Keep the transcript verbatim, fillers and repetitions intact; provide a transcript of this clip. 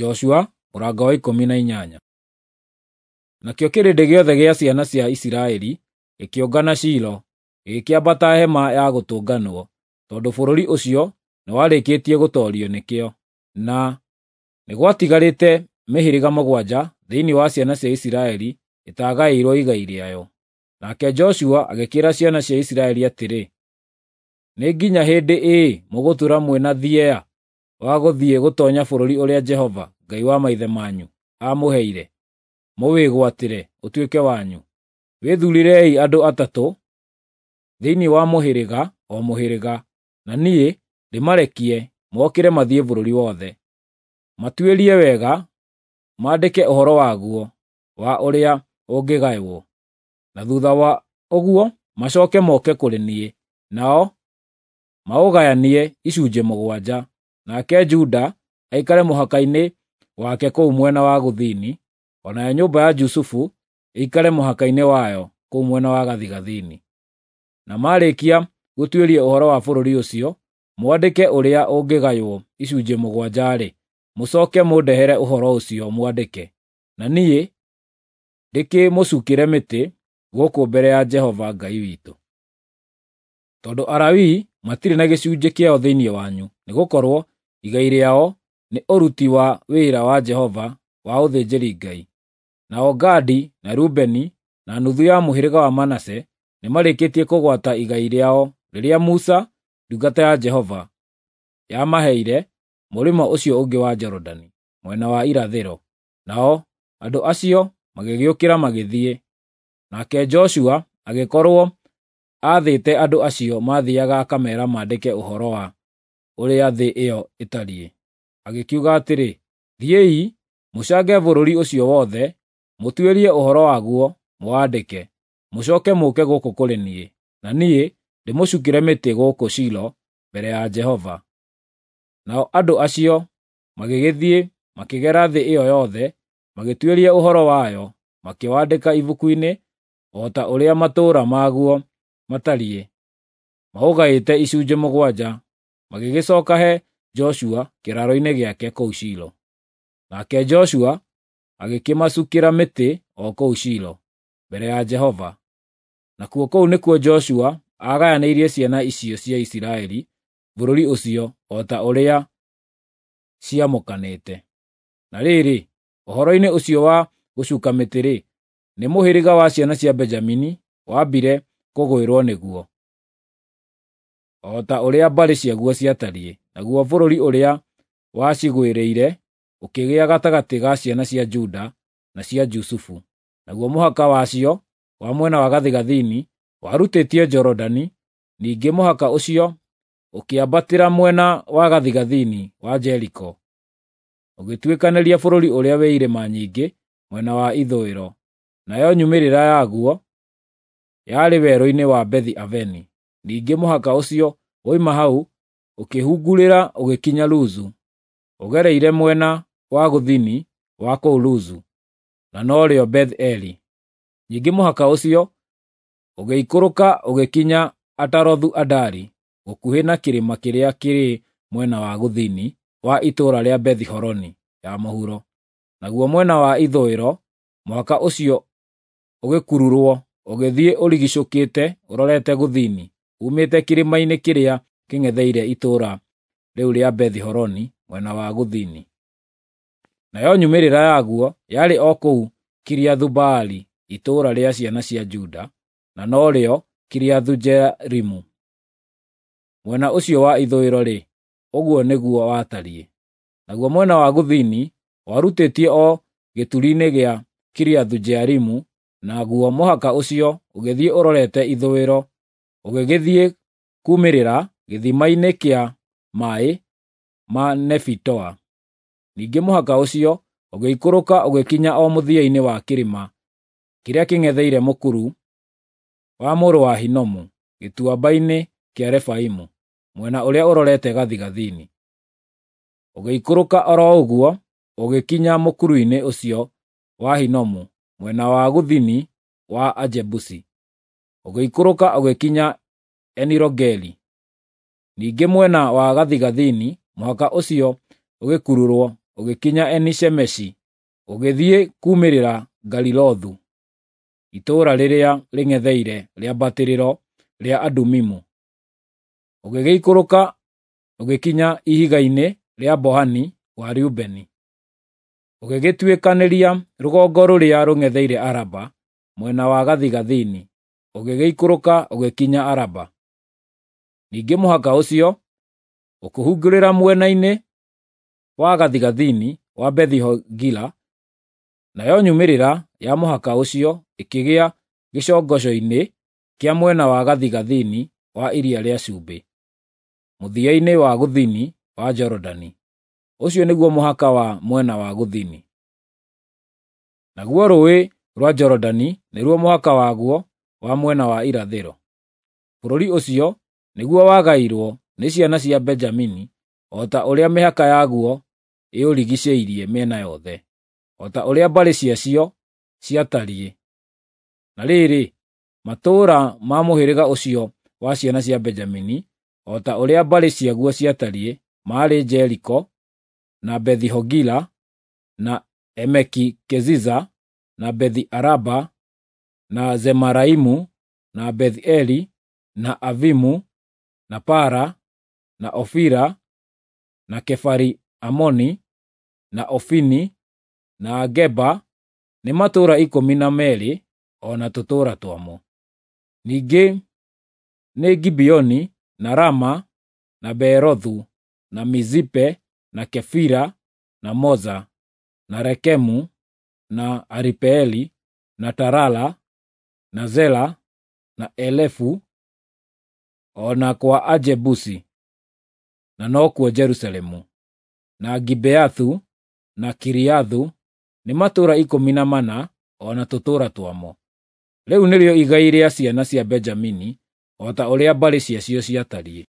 Joshua mũrango wa ikũmi na inyanya. Nakĩo kĩrĩndĩ gĩothe gĩa ciana cia Isiraeli gĩkĩũngana Shilo, gĩgĩkĩambata hema ya gũtũnganwo, tondũ bũrũri ũcio nĩwarĩkĩtie gũtoorio nĩkĩo. Na nĩ gwatigarĩte mĩhĩrĩga mũgwanja thĩinĩ wa ciana cia Isiraeli ĩtaagaĩirwo igai rĩayo. Nake Joshua agĩkĩĩra ciana cia Isiraeli atĩrĩ, “Nĩ nginya hĩndĩ ĩĩ mũgũtũũra mwĩ na thieya wa gũthiĩ gũtoonya bũrũri ũrĩa Jehova, Ngai wa maithe manyu, aamũheire mũwĩgwatĩre ũtuĩke wanyu? Wĩthuurĩrei andũ atatũ thĩinĩ wa mũhĩrĩga o mũhĩrĩga, na niĩ ndĩmarekie mokĩre mathiĩ bũrũri wothe. Matuĩrie wega, maandĩke ũhoro waguo wa ũrĩa ũngĩgaywo, na thuutha wa ũguo macooke moke kũrĩ niĩ, nao maũgayanie icunjĩ mũgwanja. Nake Juda aikare mũhaka-inĩ wake kũu mwena wa gũthini, o nayo nyũmba ya Jusufu ĩikare mũhaka-inĩ wayo kũu mwena wa gathigathini. Na maarĩkia gũtuĩria ũhoro wa bũrũri ũcio, mwandĩke ũrĩa ũngĩgaywo icunjĩ mũgwanja-rĩ, mũcooke mũndehere ũhoro ũcio mwandĩke, na niĩ ndĩkĩmũcuukĩre mĩtĩ gũkũ mbere ya Jehova Ngai witũ. Tondũ Alawii matirĩ na gĩcunjĩ kĩao thĩinĩ wanyu, nĩgũkorwo igai rĩao nĩ ũruti wa wĩra wa Jehova wa ũthĩnjĩri-Ngai. Nao Gadi na Rubeni na nuthu ya mũhĩrĩga wa Manase nĩmarĩkĩtie kũgwata igai rĩao rĩrĩa Musa ndungata ya Jehova yamaheire mũrĩmo ũcio ũngĩ wa Jorodani, mwena wa irathĩro. Nao andũ acio magĩgĩũkĩra magĩthiĩ. Nake Joshua agĩkorwo aathĩte andũ acio maathiiaga akameera maandĩke ũhoro wa ũrĩa thĩ ĩyo ĩtariĩ. Agĩkiuga atĩrĩ, “Thiĩi, mũcange bũrũri ũcio wothe, mũtuĩrie ũhoro waguo mũwandĩke, mũcooke mũũke gũkũ kũrĩ niĩ, na niĩ ndĩmũcuukĩre mĩtĩ gũkũ Shilo mbere ya Jehova.” Nao andũ acio magĩgĩthiĩ makĩgera thĩ ĩyo yothe, magĩtuĩria ũhoro wayo, makĩwandĩka ibuku-inĩ o ta ũrĩa matũũra maguo matariĩ, maũgaĩte icunjĩ mũgwanja, magĩgĩcooka he Joshua kĩraaro-inĩ gĩake kũu Shilo. Nake Joshua agĩkĩmacuukĩra mĩtĩ o kũu Shilo, mbere ya Jehova. Nakuo kũu nĩkuo Joshua aagayanĩirie ciana icio cia Isiraeli bũrũri ũcio o ta ũrĩa ciamũkanĩte. Na rĩrĩ, ũhoro-inĩ ũcio wa gũcuuka mĩtĩ-rĩ, nĩ mũhĩrĩga wa ciana cia Benjamini waambire kũgwĩrwo nĩguo, o ta ũrĩa mbarĩ ciaguo ciatariĩ. Naguo bũrũri ũrĩa wacigwĩrĩire ũkĩgĩa gatagatĩ ga ciana cia Juda na cia Jusufu. Naguo mũhaka wacio wa mwena wa gathigathini warutĩtie Jorodani, ningĩ mũhaka ũcio ũkĩambatĩra mwena wa gathigathini wa Jeriko, ũgĩtuĩkanĩria bũrũri ũrĩa wĩ irĩma nyingĩ mwena wa ithũĩro, nayo nyumĩrĩra yaguo yarĩ werũ-inĩ wa Bethi-Aveni. Ningĩ mũhaka ũcio woima hau ũkĩhungurĩra ũgĩkinya Luzu, ũgereire mwena wa gũthini wa kũu Luzu, na norĩo Beth-Eli. Ningĩ mũhaka ũcio ũgĩikũrũka ũgĩkinya Atarothu-Adari, gũkuhĩ na kĩrĩma kĩrĩa kĩrĩ mwena wa gũthini wa itũũra rĩa Bethi-Horoni ya mũhuro. Naguo mwena wa ithũĩro mũhaka ũcio ũgĩkururwo ũgĩthiĩ ũrigiicũkĩte ũrorete gũthini, uumĩte kĩrĩma-inĩ kĩrĩa kĩng'etheire itũũra rĩu rĩa Bethi-Horoni mwena wa gũthini. Nayo nyumĩrĩra yaguo yarĩ o kũu Kiriathu-Baali, itũũra rĩa ciana cia Juda, na norĩo Kiriathu-Jearimu. Mwena ũcio wa ithũĩro-rĩ, ũguo nĩguo watariĩ. Naguo mwena wa gũthini warutĩtie o gĩturi-inĩ gĩa Kiriathu-Jearimu, naguo mũhaka ũcio ũgĩthiĩ ũrorete ithũĩro, ũgĩgĩthiĩ kuumĩrĩra gĩthima-inĩ kĩa maaĩ ma Nefitoa. Ningĩ mũhaka ũcio ũgĩikũrũka ũgĩkinya o mũthia-inĩ wa kĩrĩma kĩrĩa kĩng'etheire mũkuru wa mũrũ wa Hinomu, gĩtuamba-inĩ kĩa Refaimu, mwena ũrĩa ũrorete gathigathini. Ũgĩikũrũka o ro ũguo ũgĩkinya mũkuru-inĩ ũcio wa Hinomu, mwena wa gũthini wa Ajebusi. Ũgĩikũrũka ũgĩkinya Eni-Rogeli. Ningĩ mwena wa gathigathini mũhaka ũcio ũgĩkururwo ũgĩkinya Eni-Shemeshi, ũgĩthiĩ kuumĩrĩra Galilothu, itũũra rĩrĩa rĩng'etheire rĩambatĩrĩro rĩa Adumimu. Ũgĩgĩikũrũka ũgĩkinya ihiga-inĩ rĩa Bohani wa Reubeni, ũgĩgĩtuĩkanĩria rũgongo rũrĩa rũng'etheire Araba mwena wa gathigathini, ũgĩgĩikũrũka ũgĩkinya Araba. Ningĩ mũhaka ũcio ũkĩhungurĩra mwena-inĩ wa gathigathini wa Bethi-Hogila, nayo nyumĩrĩra ya mũhaka ũcio ĩkĩgĩa gĩcongoco-inĩ kĩa mwena wa gathigathini wa Iria rĩa Cumbĩ, mũthia-inĩ wa gũthini wa Jorodani. Ũcio nĩguo mũhaka wa mwena wa gũthini. Naguo rũũĩ rwa Jorodani nĩruo mũhaka waguo wa mwena wa irathĩro. Bũrũri ũcio nĩguo wagairwo nĩ ciana cia Benjamini o ta ũrĩa mĩhaka yaguo ĩũrigiicĩirie mĩena yothe, o ta ũrĩa mbarĩ ciacio ciatariĩ. Na rĩrĩ, matũũra ma mũhĩrĩga ũcio wa ciana cia Benjamini, o ta ũrĩa mbarĩ ciaguo ciatariĩ, maarĩ Jeriko, na Bethi-Hogila, na Emeki-Keziza, na Bethi-Araba, na Zemaraimu, na Beth-Eli, na Avimu, na Para, na Ofira, na Kefari-Amoni, na Ofini, na Geba, nĩ matũũra ikũmi na meerĩ o na tũtũũra twamo. Ningĩ nĩ Gibeoni, na Rama, na Beerothu, na Mizipe, na Kefira, na Moza, na Rekemu, na Aripeeli, na Tarala, na Zela, na Elefu, o na kwa Ajebusi, na nokuo Jerusalemu, na Gibeathu, na Kiriathu, nĩ matũũra ikũmi na mana o na tũtũũra twamo. Rĩu nĩrĩo igai rĩa ciana cia Benjamini o ta ũrĩa mbarĩ ciacio ciatariĩ.